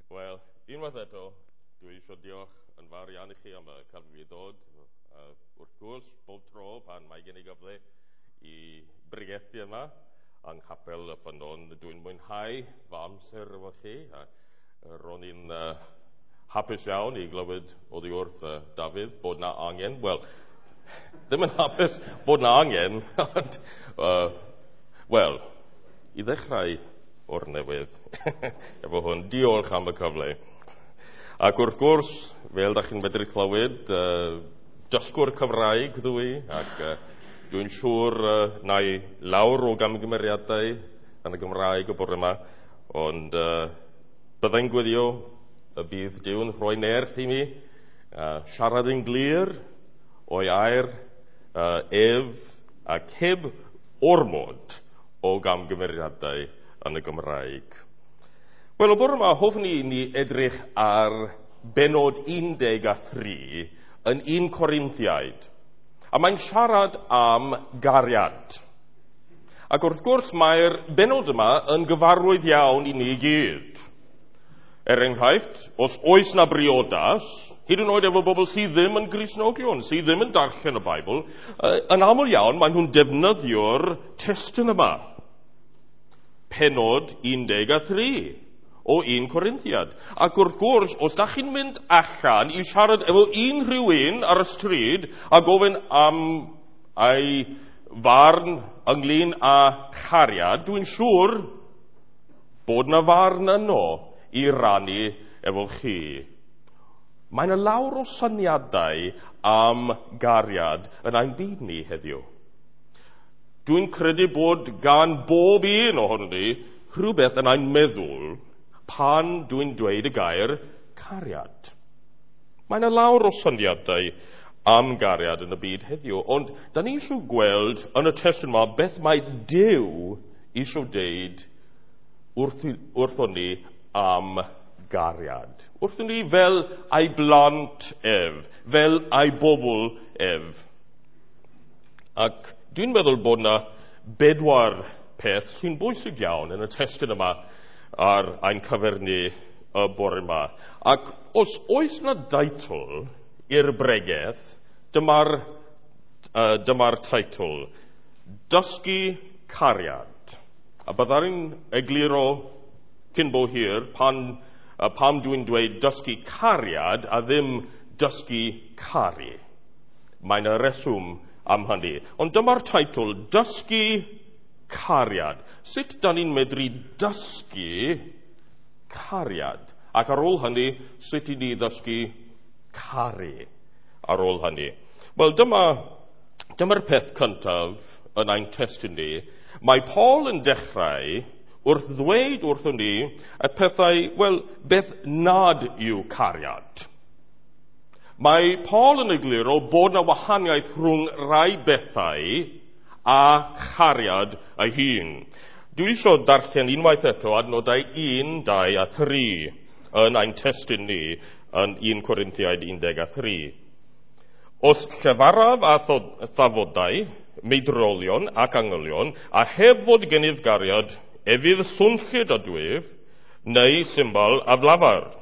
Wel, unwaith eto, dwi eisiau diolch yn fawr iawn i chi am y cyfle i ddod. Wrth gwrs, bob tro pan mae gen i gyfle i bregethu yma yng Nghapel y Ffynnon, dwi'n mwynhau fy amser efo chi. A ro'n i'n hapus iawn i glywed oddi wrth Dafydd bod na angen. Wel, ddim yn hapus bod na angen, ond, wel, i ddechrau o'r newydd efo hwn. Diolch am y cyfle. Ac wrth gwrs, fel da chi'n medru clywed, dysgwr Cymraeg ddw i, ac dwi'n siŵr na i lawr o gamgymeriadau yn y Gymraeg y bore yma, ond byddai'n gweddio y bydd Duw'n rhoi nerth i mi, siarad yn glir o'i air ef ac heb ormod o gamgymeriadau yn y Gymraeg. Wel, y bore yma, hoffwn i ni edrych ar benod 13 yn 1 Corinthiaid. A mae'n siarad am gariad. Ac wrth gwrs, mae'r benod yma yn gyfarwydd iawn i ni gyd. Er enghraifft, os oes na briodas, hyd yn oed efo bobl sydd ddim yn Gristnogion, sydd ddim yn darllen y Beibl, yn aml iawn maen nhw'n defnyddio'r testun yma. Penod 13 o 1 Corinthiad. Ac wrth gwrs, os da chi'n mynd allan i siarad efo unrhyw un ar y stryd a gofyn am ei farn ynglyn â chariad, dwi'n siŵr bod na farn yno i rannu efo chi. Mae yna lawr o syniadau am gariad yn ein byd ni heddiw. Dwi'n credu bod gan bob un ohonon ni rhywbeth yn ein meddwl pan dwi'n dweud y gair cariad. Mae yna lawr o syniadau am gariad yn y byd heddiw, ond da ni eisiau gweld yn y testun yma beth mae Duw eisiau deud wrthon ni am gariad. Wrthon ni fel ei blant ef, fel ei bobl ef. Ac dwi'n meddwl bod yna bedwar peth sy'n bwysig iawn yn y testun yma ar ein cyfer ni y bore yma. Ac os oes yna deitl i'r bregeth, dyma'r teitl, Dysgu Cariad. A byddai'n egluro cyn bo hir pam dwi'n dweud dysgu cariad a ddim dysgu caru. Mae'n y reswm am hynny. Ond dyma'r teitl, Dysgu Cariad. Sut da ni'n medru dysgu cariad? Ac ar ôl hynny, sut i ni ddysgu caru ar ôl hynny? Wel, dyma'r peth cyntaf yn ein testun ni. Mae Paul yn dechrau wrth ddweud wrthon ni y pethau, wel, beth nad yw cariad. Mae Paul yn egluro bod na wahaniaeth rhwng rai bethau a chariad ei hun. Dwi eisiau darllen unwaith eto adnodau 1, 2 a 3 yn ein testun ni yn 1 Corinthiaid 13. Os llefaraf a thafodau, meidrolion ac angylion, a heb fod gennyf gariad, efydd swnllyd a dwyf, neu symbol aflafar.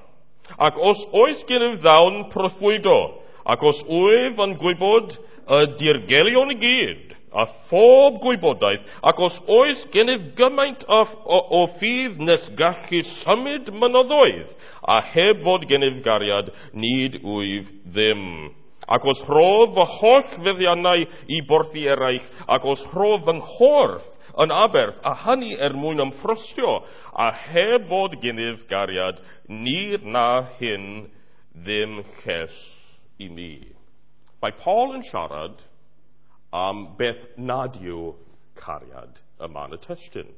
Ac os oes gennyf ddawn proffwydo, ac os wyf yn gwybod y dirgelion i gyd, a phob gwybodaeth, ac os oes gennyf gymaint o ffydd nes gallu symud mynyddoedd, a heb fod gennyf gariad, nid wyf ddim. Ac os rhof fy holl feddiannau i borthi eraill, ac os rhof fy nghorff yn aberth, a hynny er mwyn ymffrostio, a heb fod gennyf gariad, ni na hyn ddim lles i mi. Mae Paul yn siarad am beth nad yw cariad yma yn y testun.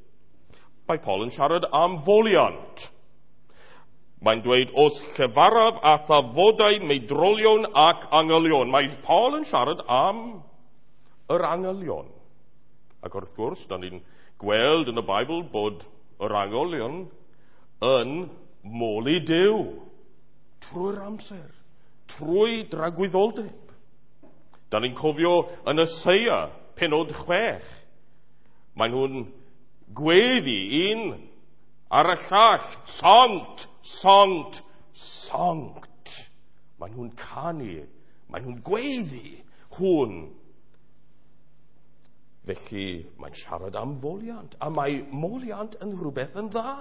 Mae Paul yn siarad am foliant. Mae'n dweud, os llefaraf a thafodau meidrolion ac angylion. Mae Paul yn siarad am yr angylion. Ac wrth gwrs, da ni'n gweld yn y Beibl bod yr angylion yn moli Duw trwy'r amser, trwy dragwyddoldeb. Da ni'n cofio yn Eseia, penod 6. Maen nhw'n gweddi un ar y llall, Sant, Sanct, Sanct. Maen nhw'n canu, maen nhw'n gweiddi hwn. Felly mae'n siarad am foliant, a mae moliant yn rhywbeth yn dda.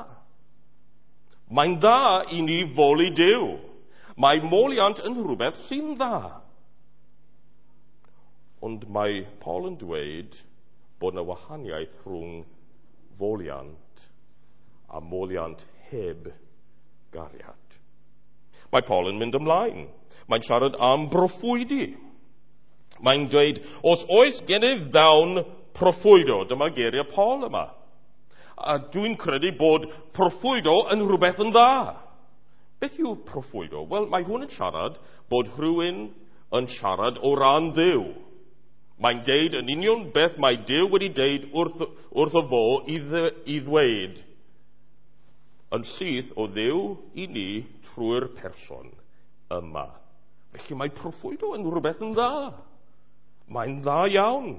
Mae'n dda i ni foli Duw. Mae moliant yn rhywbeth sy'n dda. Ond mae Paul yn dweud bod yna wahaniaeth rhwng foliant a moliant heb gariad. Mae Paul yn mynd ymlaen. Mae'n siarad am broffwydi. Mae'n dweud, os oes gennyf ddawn proffwydo, dyma geiriau Paul yma. A dwi'n credu bod proffwydo yn rhywbeth yn dda. Beth yw proffwydo? Wel, mae hwn yn siarad bod rhywun yn siarad o ran Dduw. Mae'n deud yn union beth mae Duw wedi deud wrtho fo i ddweud yn syth o Dduw i ni trwy'r person yma. Felly mae proffwydo yn rhywbeth yn dda. Mae'n dda iawn.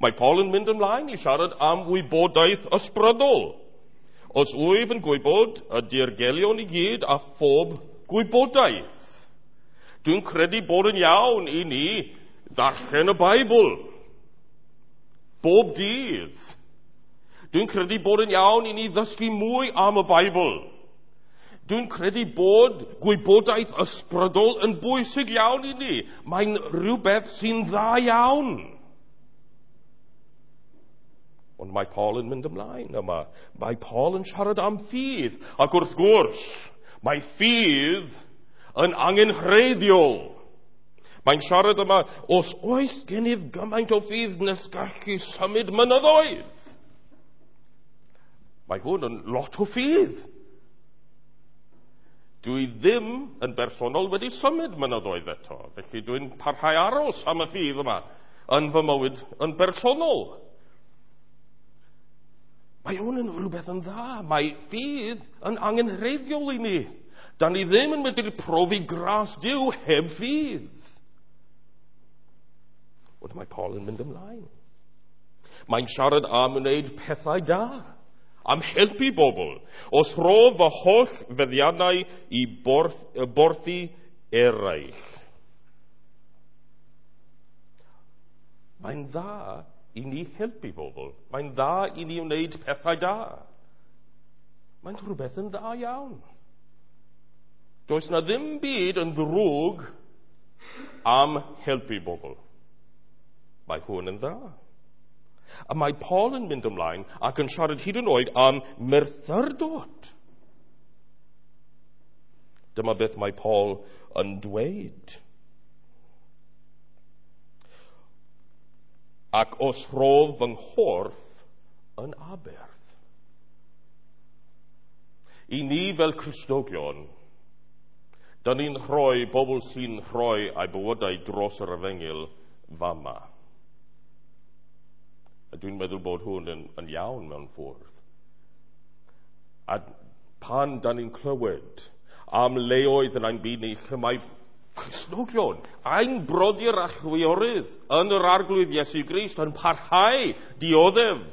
Mae Paul yn mynd ymlaen i siarad am wybodaeth ysbrydol. Os wyf yn gwybod y dirgelion i gyd a phob gwybodaeth. Dwi'n credu bod yn iawn i ni ddarllen y Beibl bob dydd. Dwi'n credu bod yn iawn i ni ddysgu mwy am y Beibl. Dwi'n credu bod gwybodaeth ysbrydol yn bwysig iawn i ni. Mae'n rhywbeth sy'n dda iawn. Ond mae Paul yn mynd ymlaen yma. Mae Paul yn siarad am ffydd. Ac wrth gwrs, mae ffydd yn angenrheidiol. Mae'n siarad yma, os oes gennyf gymaint o ffydd nes gallu symud mynyddoedd. Mae hwn yn lot o ffydd. Dwi ddim yn bersonol wedi symud mynyddoedd eto, felly dwi'n parhau aros am y ffydd yma yn fy mywyd yn bersonol. Mae hwn yn rhywbeth yn dda. Mae ffydd yn angenrheidiol i ni. Da ni ddim yn medru profi gras Duw heb ffydd. Ond mae Paul yn mynd ymlaen. Mae'n siarad am wneud pethau da, am helpu bobl. Os rho fy holl feddiannau i borthi eraill. Mae'n dda i ni helpu bobl. Mae'n dda i ni wneud pethau da. Mae'n rhywbeth yn dda iawn. Does na ddim byd yn ddrwg am helpu bobl. Mae hwn yn dda. A mae Paul yn mynd ymlaen ac yn siarad hyd yn oed am merthyrdod. Dyma beth mae Paul yn dweud. Ac os rhof fy nghorff yn aberth. I ni fel Cristnogion, da ni'n rhoi bobl sy'n rhoi eu bywydau dros yr efengyl fama. A dwi'n meddwl bod hwn yn iawn mewn ffordd. A pan da ni'n clywed am leoedd yn ein byd ni lle mae Cristnogion, ein brodyr a chwiorydd yn yr Arglwydd Iesu Grist yn parhau dioddef,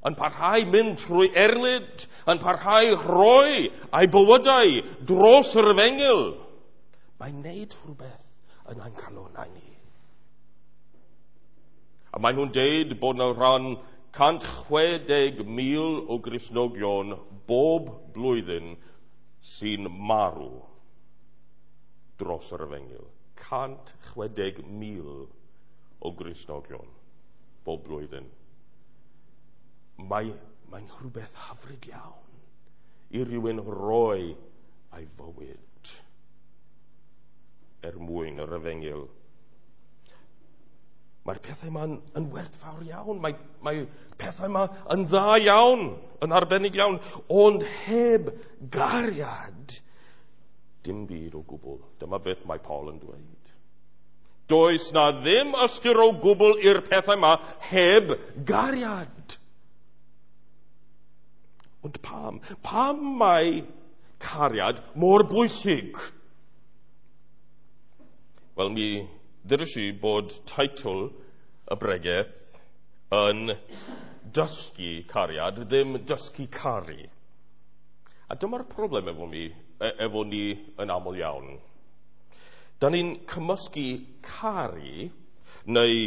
yn parhau mynd trwy erlid, yn parhau rhoi eu bywydau dros yr efengyl. Mae'n neud rhywbeth yn ein calonnau ni. A maen nhw'n deud bod yna rhan 160,000 o Gristnogion bob blwyddyn sy'n marw dros yr efengyl. 160,000 o Gristnogion bob blwyddyn. Mae'n rhywbeth hyfryd iawn i rywun roi ei fywyd er mwyn yr efengyl. Mae'r pethau yma yn werthfawr iawn. Mae pethau yma yn dda iawn, yn arbennig iawn, ond heb gariad, dim byd o gwbl. Dyma beth mae Paul yn dweud. Does na ddim ystyr o gwbl i'r pethau yma heb gariad. Ond pam? Pam mae cariad mor bwysig? Wel, mi ddyrys i bod teitl y bregeth yn dysgu cariad, ddim dysgu caru. A dyma'r problem efo ni yn aml iawn. Da ni'n cymysgu caru neu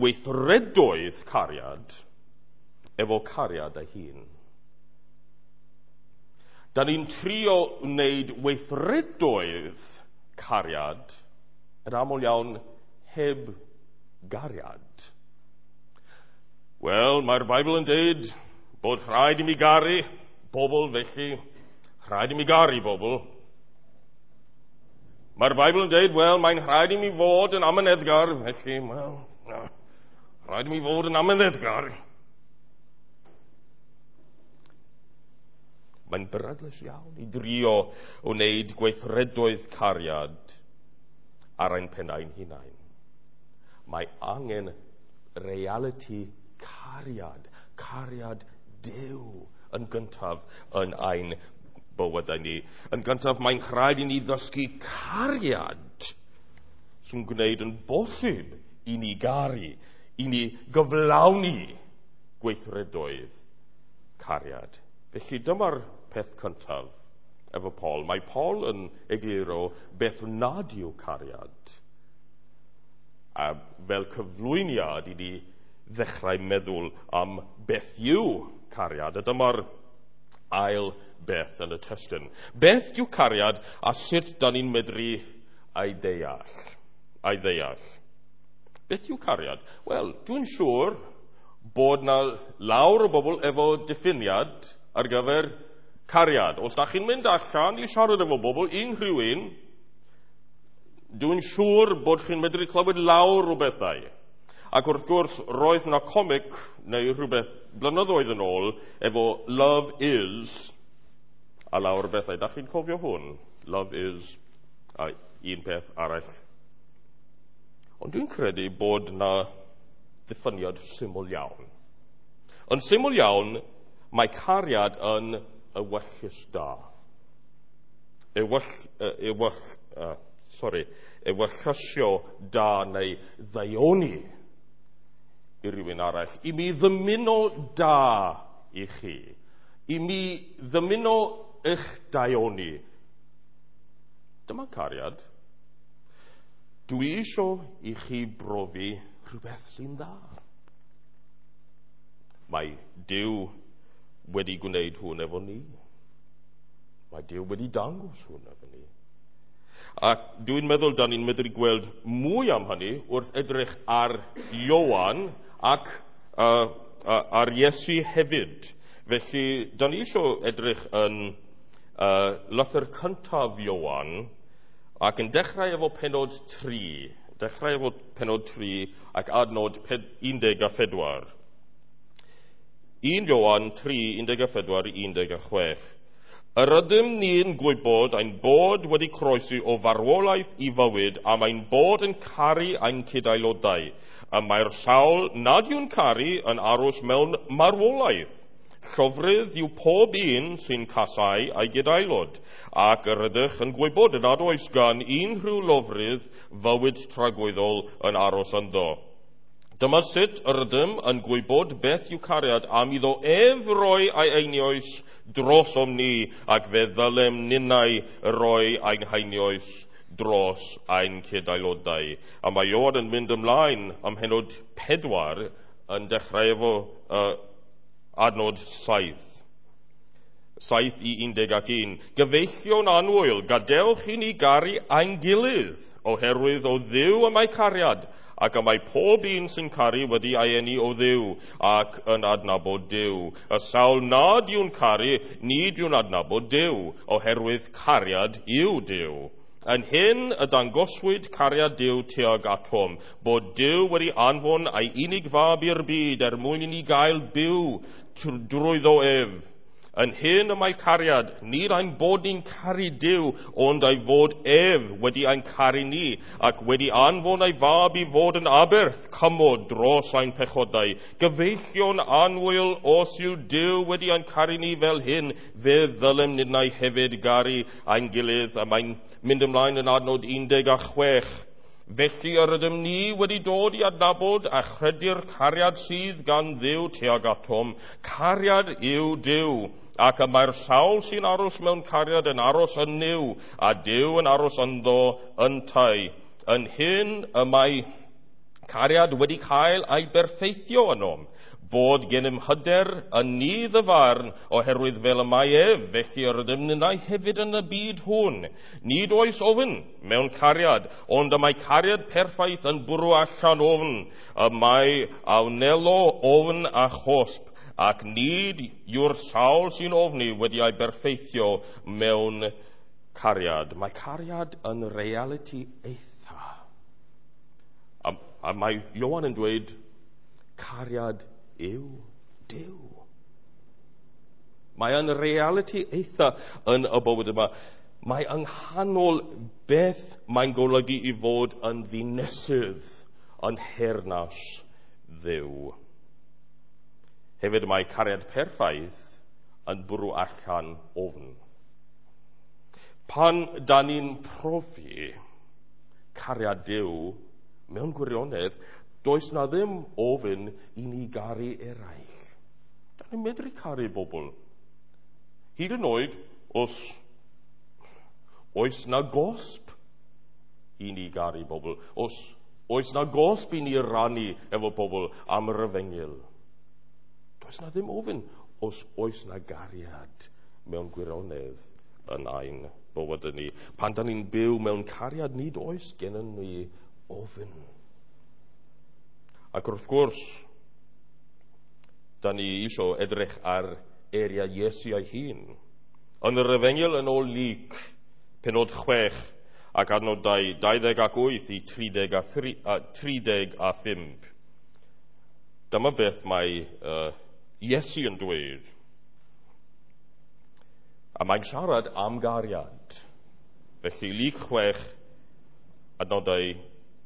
weithredoedd cariad efo cariad ei hun. Da ni'n trio wneud weithredoedd cariad yn aml iawn heb gariad. Wel, mae'r Beibl yn dweud bod rhaid i mi garu bobl, felly rhaid i mi garu bobl. Mae'r Beibl yn dweud, wel, mae'n rhaid i mi fod yn amyneddgar, felly, wel, rhaid i mi fod yn amyneddgar. Mae'n beryglus iawn i drio o wneud gweithredoedd cariad ar ein pennau'n hunain. Mae angen realiti cariad, cariad Duw yn gyntaf yn ein bywydau ni. Yn gyntaf, mae'n rhaid i ni ddysgu cariad sy'n gwneud yn bosib i ni garu, i ni gyflawni gweithredoedd cariad. Felly dyma'r peth cyntaf efo Paul. Mae Paul yn egluro beth nad yw cariad. A fel cyflwyniad i ni ddechrau meddwl am beth yw cariad. A dyma'r ail beth yn y testun. Beth yw cariad a sut da ni'n medru ei ddeall? Ei ddeall. Beth yw cariad? Wel, dwi'n siŵr bod na lawr o bobl efo diffiniad ar gyfer cariad. Os da chi'n mynd allan i siarad efo bobl, unrhyw un, dwi'n siŵr bod chi'n medru clywed lawr o bethau. Ac wrth gwrs, roedd na comic neu rhywbeth blynyddoedd yn ôl efo Love Is a lawr o bethau. Da chi'n cofio hwn? Love Is a un peth arall. Ond dwi'n credu bod na ddiffiniad syml iawn. Yn syml iawn, mae cariad yn ewyllys da. Ewyllysio da neu ddaioni i rywun arall. I mi ddymuno da i chi. I mi ddymuno eich daioni. Dyma cariad. Dwi isio i chi brofi rhywbeth sy'n dda. Mae Duw wedi gwneud hwn efo ni. Mae Duw wedi dangos hwn efo ni. Ac dwi'n meddwl da ni'n medru gweld mwy am hynny wrth edrych ar Ioan ac ar Iesu hefyd. Felly, da ni eisiau edrych yn lythyr cyntaf Ioan ac yn dechrau efo penod 3. Dechrau efo penod 3 ac adnod 14. 1 Ioan 3, 14-16. Yr ydym ni'n gwybod ein bod wedi croesi o farwolaeth i fywyd am ein bod yn caru ein cyd-aelodau. Y mae'r sawl nad yw'n caru yn aros mewn marwolaeth. Llofrudd yw pob un sy'n casau ei gyd-aelod, ac yr ydych yn gwybod nad oes gan unrhyw lofrudd fywyd tragwyddol yn aros ynddo. Dyma sut yr ydym yn gwybod beth yw cariad am iddo ef roi ei einioes drosom ni, ac fe ddylem ninnau roi ein heinioes dros ein cyd-aelodau. A mae Ioan yn mynd ymlaen am henod 4 yn dechrau efo adnod 7. 7 i 11. Gyfeillion annwyl, gadewch i ni garu ein gilydd, oherwydd o Dduw y mae cariad, ac y mae pob un sy'n caru wedi ei eni o Dduw ac yn adnabod Duw. Y sawl nad yw'n caru, nid yw'n adnabod Duw, oherwydd cariad yw Duw. Yn hyn y dangoswyd cariad Duw tuag atom, bod Duw wedi anfon ei unig fab i'r byd er mwyn i ni gael byw drwyddo ef. Yn hyn y mae cariad, nid ein bod ni'n caru Duw, ond ei fod ef wedi ein caru ni, ac wedi anfon ei fab i fod yn aberth cymod dros ein pechodau. Gyfeillion annwyl, os yw Duw wedi ein caru ni fel hyn, fe ddylem ninnau hefyd garu ein gilydd. A mae'n mynd ymlaen yn adnod 16. Felly yr ydym ni wedi dod i adnabod a chredu'r cariad sydd gan Dduw tuag atom. Cariad yw Duw, ac y mae'r sawl sy'n aros mewn cariad yn aros yn Nuw, a Duw yn aros ynddo yntau. Yn hyn y mae cariad wedi cael ei berffeithio ynom, bod gennym hyder yn nydd y farn, oherwydd fel y mae ef, felly yr ydym ninnau hefyd yn y byd hwn. Nid oes ofn mewn cariad, ond y mae cariad perffaith yn bwrw allan ofn, y mae a wnelo ofn a chosb, ac nid yw'r sawl sy'n ofni wedi ei berffeithio mewn cariad. Mae cariad yn realiti eitha. A mae Ioan yn dweud, cariad yw Duw. Mae yn realiti eitha yn y bywyd yma. Mae yng nghanol beth mae'n golygu i fod yn ddinesydd yn nheyrnas Dduw. Hefyd mae cariad perffaith yn bwrw allan ofn. Pan da ni'n profi cariad Duw mewn gwirionedd, does na ddim ofyn i ni garu eraill. Da ni'n medru caru bobl. Hyd yn oed os oes na gosb i ni garu bobl, os oes na gosb i ni rannu efo bobl am yr efengyl. Does na ddim ofyn os oes na gariad mewn gwirionedd yn ein bywyd ni. Pan da ni'n byw mewn cariad, nid oes gennym ni ofyn. Ac wrth gwrs, da ni eisiau edrych ar eiriau Iesu ei hun. Yn yr Efengyl yn ôl Luc, pennod 6 ac adnodau 28 i 35. Dyma beth mae Iesu yn dweud. A mae'n siarad am gariad. Felly Luc 6, adnodau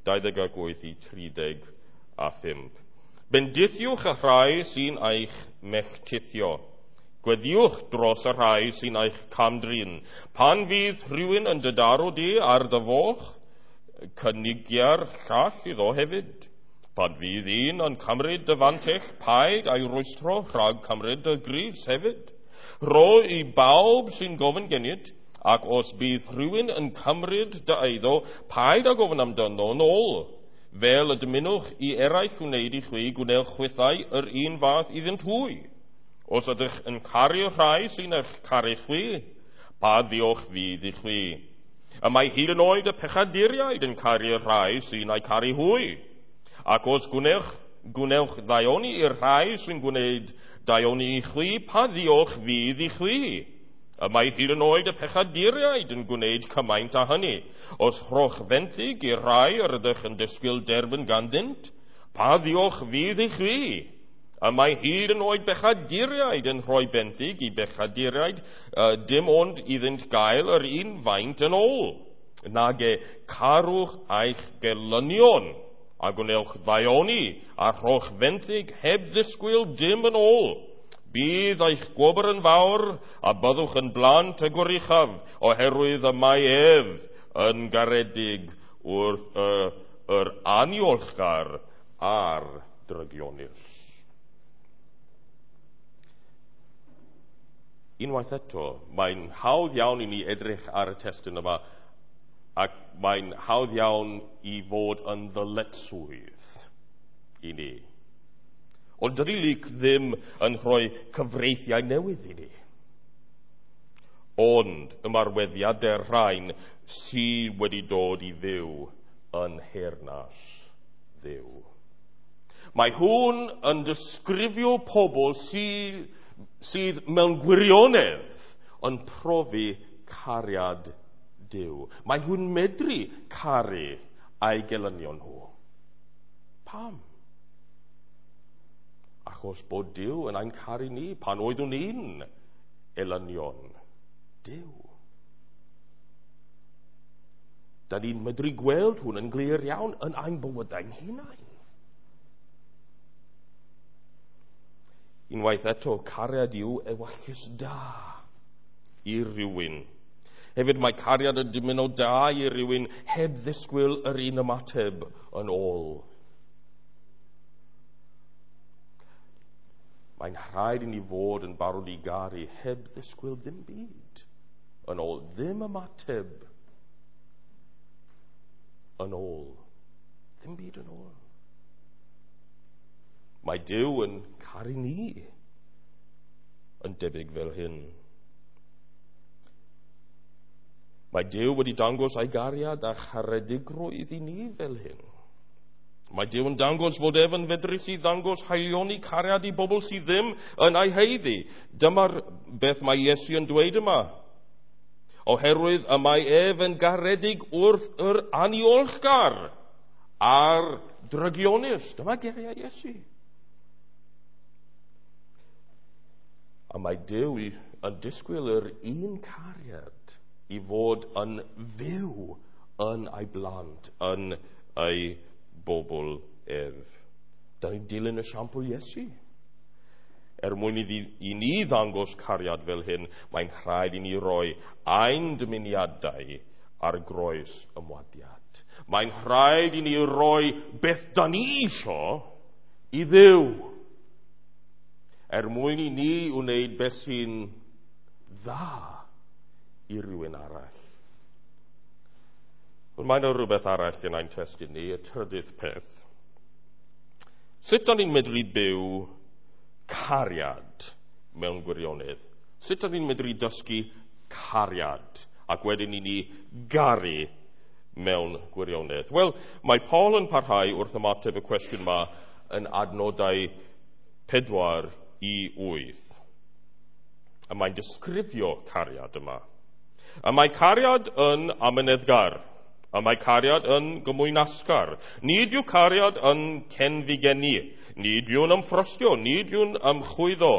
28 i 35. Bendithiwch y rhai sy'n eich melltithio. Gweddiwch dros y rhai sy'n eich camdrin. Pan fydd rhywun yn dy daro di ar dy foch, cynigia'r llall iddo hefyd. Pan fydd un yn cymryd dy fantell, paid a'i rwystro rhag cymryd dy grys hefyd. Rho i bawb sy'n gofyn gennyt, ac os bydd rhywun yn cymryd dy eiddo, paid â gofyn amdano yn ôl. Fel y dymunwch i eraill wneud i chwi, gwnewch chwithau yr un fath iddynt hwy. Os ydych yn caru rhai sy'n eich caru chwi, pa ddiolch fydd i chwi? Y mae hyd yn oed y pechaduriaid yn caru rhai sy'n eu caru hwy. Ac os gwnewch ddaioni i'r rhai sy'n gwneud daioni i chwi, pa ddiolch fydd i chwi? Y mae hyd yn oed y pechaduriaid yn gwneud cymaint â hynny. Os rhowch fenthyg i'r rhai yr ydych yn disgwyl derbyn ganddynt, pa ddiolch fydd i chwi? Y mae hyd yn oed bechaduriaid yn rhoi benthyg i bechaduriaid, dim ond iddynt gael yr un faint yn ôl. Nage carwch eich gelynion, a gwnewch ddaioni, a rhowch fenthyg heb ddisgwyl dim yn ôl. Bydd eich gwobr yn fawr, a byddwch yn blant y Goruchaf, oherwydd y mae ef yn garedig wrth yr aniolchgar a'r drygionus. Unwaith eto, mae'n hawdd iawn i ni edrych ar y testun yma, ac mae'n hawdd iawn i fod yn ddyletswydd i ni. Ond dydy Luc ddim yn rhoi cyfreithiau newydd i ni. Ond ymarweddiadau'r rhain sydd wedi dod i fyw yn nheyrnas Dduw. Mae hwn yn disgrifio pobl sydd mewn gwirionedd yn profi cariad Duw. Mae nhw'n medru caru a'i gelynion nhw. Pam? Achos bod Duw yn ein caru ni pan oeddwn ni'n elynion Duw. Da ni'n medru gweld hwn yn glir iawn yn ein bywydau'n hunain. Unwaith eto, cariad yw ewyllys da i rywun. Hefyd mae cariad yn dymuno da i rywun heb ddisgwyl yr un ymateb yn ôl. Mae'n rhaid i ni fod yn barod i garu heb ddisgwyl ddim byd yn ôl, ddim ymateb yn ôl. Ddim byd yn ôl. Mae Duw yn caru ni yn debyg fel hyn. Mae Duw wedi dangos ei gariad a charedigrwydd i ni fel hyn. Mae Duw yn dangos fod ef yn fedrus i ddangos haelioni cariad i bobl sydd ddim yn ei haeddu. Dyma'r beth mae Iesu yn dweud yma. Oherwydd y mae ef yn garedig wrth yr aniolchgar a'r drygionus. Dyma geiriau Iesu. A mae Duw yn disgwyl yr un cariad i fod yn fyw yn ei blant, yn ei bobl ef. Da ni'n dilyn esiampl Iesu. Er mwyn i ni ddangos cariad fel hyn, mae'n rhaid i ni roi ein dymuniadau ar groes ymwadiad. Mae'n rhaid i ni roi beth da ni isio i Dduw. Er mwyn i ni wneud beth sy'n dda i rywun arall. Ond mae yna rhywbeth arall yn ein testun ni, y trydydd peth. Sut da ni'n medru byw cariad mewn gwirionedd? Sut da ni'n medru dysgu cariad ac wedyn i ni garu mewn gwirionedd? Wel, mae Paul yn parhau wrth ymateb y cwestiwn yma yn adnodau 4 i 8. A mae'n disgrifio cariad yma. A mae cariad yn amyneddgar. A mae cariad yn gymwynasgar. Nid yw cariad yn cenfigenu. Nid yw'n ymffrostio. Nid yw'n ymchwyddo.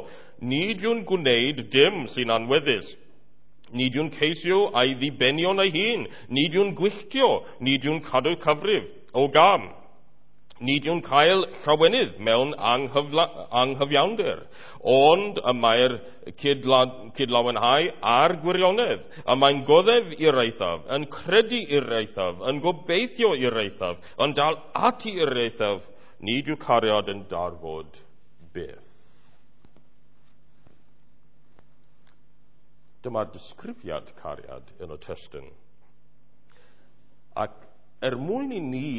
Nid yw'n gwneud dim sy'n anweddus. Nid yw'n ceisio ei ddibenion ei hun. Nid yw'n gwylltio. Nid yw'n cadw cyfrif o gam. Nid yw'n cael llawenydd mewn anghyfiawnder, ond y mae'r cydlawenhau a'r gwirionedd. Y mae'n goddef i'r eithaf, yn credu i'r eithaf, yn gobeithio i'r eithaf, yn dal ati i'r eithaf. Nid yw cariad yn darfod byth. Dyma'r disgrifiad cariad yn y testun. Ac er mwyn i ni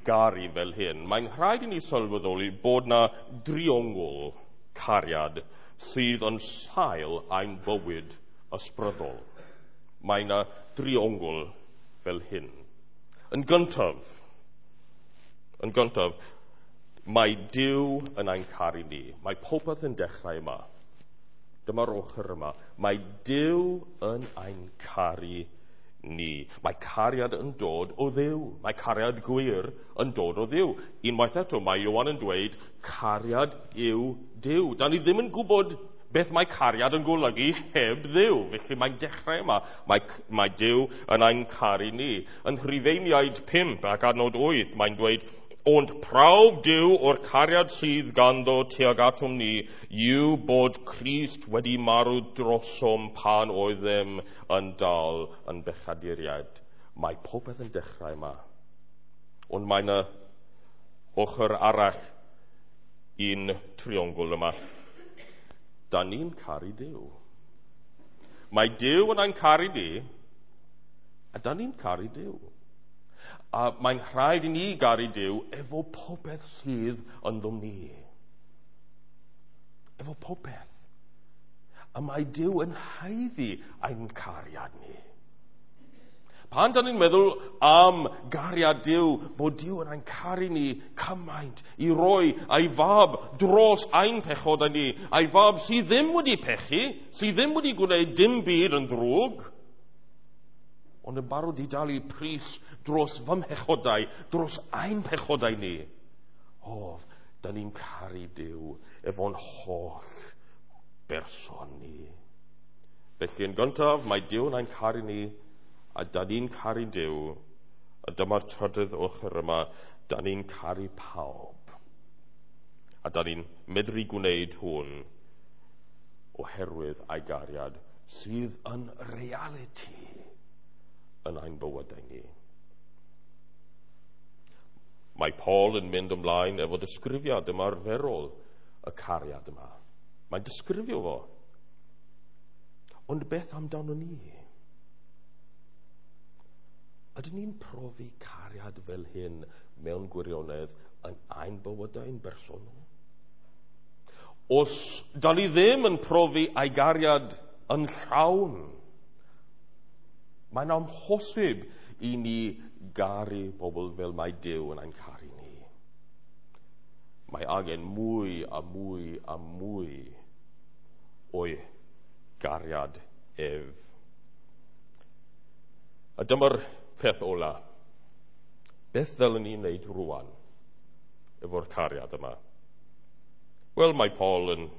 garu fel hyn, mae'n rhaid i ni sylweddoli bod na driongl cariad sydd yn sail ein bywyd ysbrydol. Mae na driongl fel hyn. Yn gyntaf, mae Duw yn ein caru ni. Mae popeth yn dechrau yma. Dyma'r ochr yma. Mae Duw yn ein caru ni. Mae cariad yn dod o Dduw. Mae cariad gwir yn dod o Dduw. Unwaith eto, mae Ioan yn dweud cariad yw Duw. Da ni ddim yn gwybod beth mae cariad yn golygu heb Dduw. Felly mae'n dechrau yma. Mae Duw yn ein caru ni. Yn Rhufeiniaid 5 ac adnod 8, mae'n dweud, ond prawf Duw o'r cariad sydd ganddo tuag atom ni yw bod Crist wedi marw drosom pan oeddem yn dal yn bechaduriaid. Mae popeth yn dechrau yma. Ond mae yna ochr arall i'n triongl yma. Da ni'n caru Duw. Mae Duw yn ein caru ni, a da ni'n caru Duw. A mae'n rhaid i ni garu Duw efo popeth sydd ynddom ni. Efo popeth. A mae Duw yn haeddu ein cariad ni. Pan da ni'n meddwl am gariad Duw, bod Duw yn ein caru ni cymaint i roi ei fab dros ein pechodau ni, ei fab sydd ddim wedi pechu, sydd ddim wedi gwneud dim byd yn ddrwg, ond yn barod i dalu pris dros fy mhechodau, dros ein pechodau ni. O, da ni'n caru Duw efo'n holl berson ni. Felly yn gyntaf, mae Duw yn ein caru ni, a da ni'n caru Duw, a dyma'r trydydd ochr yma, da ni'n caru pawb. A da ni'n medru gwneud hwn oherwydd ei gariad sydd yn realiti yn ein bywydau ni. Mae Paul yn mynd ymlaen efo disgrifiad ymarferol y cariad yma. Mae'n disgrifio fo. Ond beth amdano ni? Ydyn ni'n profi cariad fel hyn mewn gwirionedd yn ein bywydau'n bersonol? Os da ni ddim yn profi ei gariad yn llawn, mae'n amhosib i ni garu bobl fel mae Duw yn ein caru ni. Mae angen mwy a mwy a mwy o'i gariad ef. A dyma'r peth ola. Beth ddylen ni wneud rwan efo'r cariad yma? Wel, mae Paul yn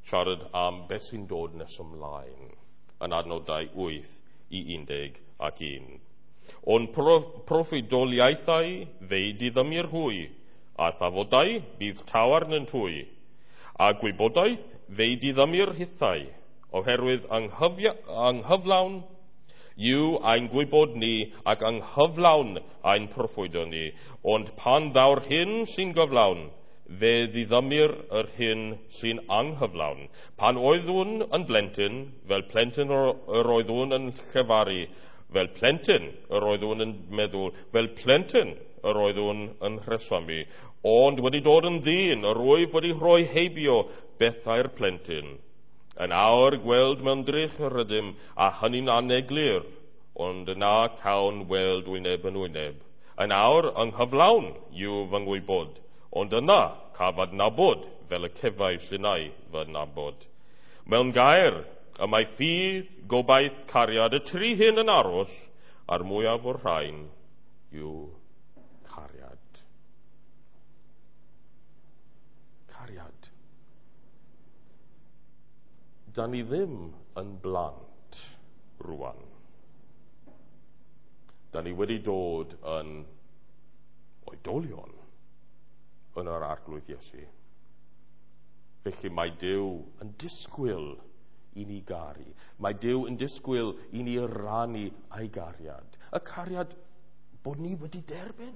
siarad am beth sy'n dod nes ymlaen yn adnodau 8 i 11. Ond proffwydoliaethau fe'i diddymir hwy, a thafodau bydd taw arnynt hwy, a gwybodaeth fe'i diddymir hithau, oherwydd anghyflawn yw ein gwybod ni ac anghyflawn ein proffwydo ni, ond pan ddaw'r hyn sy'n gyflawn, fe ddiddymir yr hyn sy'n anghyflawn. Pan oeddwn yn blentyn, fel plentyn yr oeddwn yn llefaru, fel plentyn yr oeddwn yn meddwl, fel plentyn yr oeddwn yn rhesymu, ond wedi dod yn ddyn, yr wyf wedi rhoi heibio bethau'r plentyn. Yn awr gweld mewn drych yr ydym, a hynny'n aneglur, ond yna cawn weld wyneb yn wyneb. Yn awr ynghyflawn yw fy ngwybod, ond yna caf adnabod fel y cefais innau fy nabod. Mewn gair, y mae ffydd, gobaith, cariad, y tri hyn yn aros, a'r mwyaf o'r rhain yw cariad. Cariad. Da ni ddim yn blant rwan. Da ni wedi dod yn oedolion yn yr Arglwydd Iesu. Felly mae Duw yn disgwyl i ni garu. Mae Duw yn disgwyl i ni rannu ei gariad. Y cariad bod ni wedi derbyn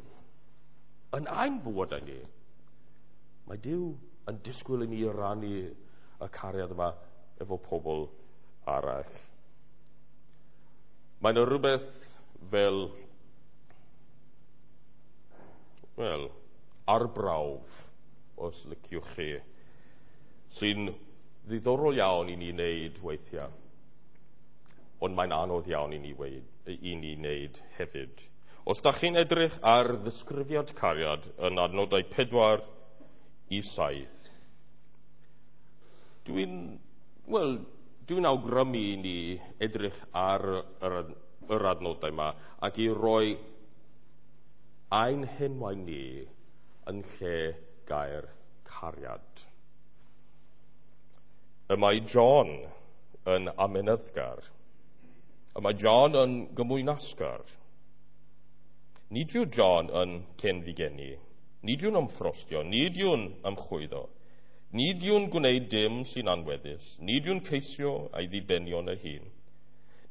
yn ein bywydau ni. Mae Duw yn disgwyl i ni rannu y cariad yma efo pobl arall. Mae yna rhywbeth fel, wel, arbrawf, os liciwch chi, sy'n ddiddorol iawn i ni wneud weithiau, ond mae'n anodd iawn i ni wneud hefyd. Os da chi'n edrych ar ddisgrifiad cariad yn adnodau 4 i 7, dwi'n awgrymu i ni edrych ar yr adnodau yma ac i roi ein henwau ni yn lle gair cariad. Y mae John yn amyneddgar. Y mae John yn gymwynasgar. Nid yw John yn cenfigenu. Nid yw'n ymffrostio. Nid yw'n ymchwyddo. Nid yw'n gwneud dim sy'n anweddus. Nid yw'n ceisio ei ddibenion ei hun.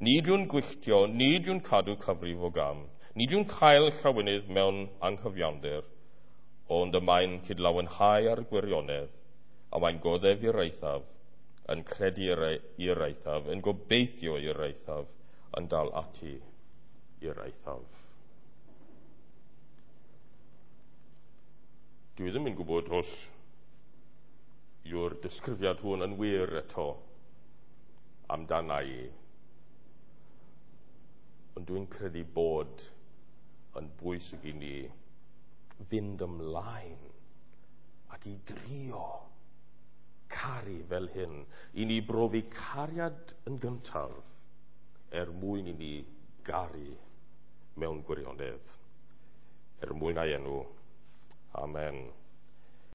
Nid yw'n gwylltio. Nid yw'n cadw cyfrif o gam. Nid yw'n cael llawenydd mewn anghyfiawnder, ond y mae'n cydlawenhau ar gwirionedd, a mae'n goddef i'r eithaf, yn credu i'r eithaf, yn gobeithio i'r eithaf, yn dal ati i'r eithaf. Dwi ddim yn gwybod os yw'r disgrifiad hwn yn wir eto amdana i, ond dwi'n credu bod yn bwysig i ni fynd ymlaen ac i drio caru fel hyn, i ni brofi cariad yn gyntaf er mwyn i ni garu mewn gwirionedd, er mwyn ei enw. Amen.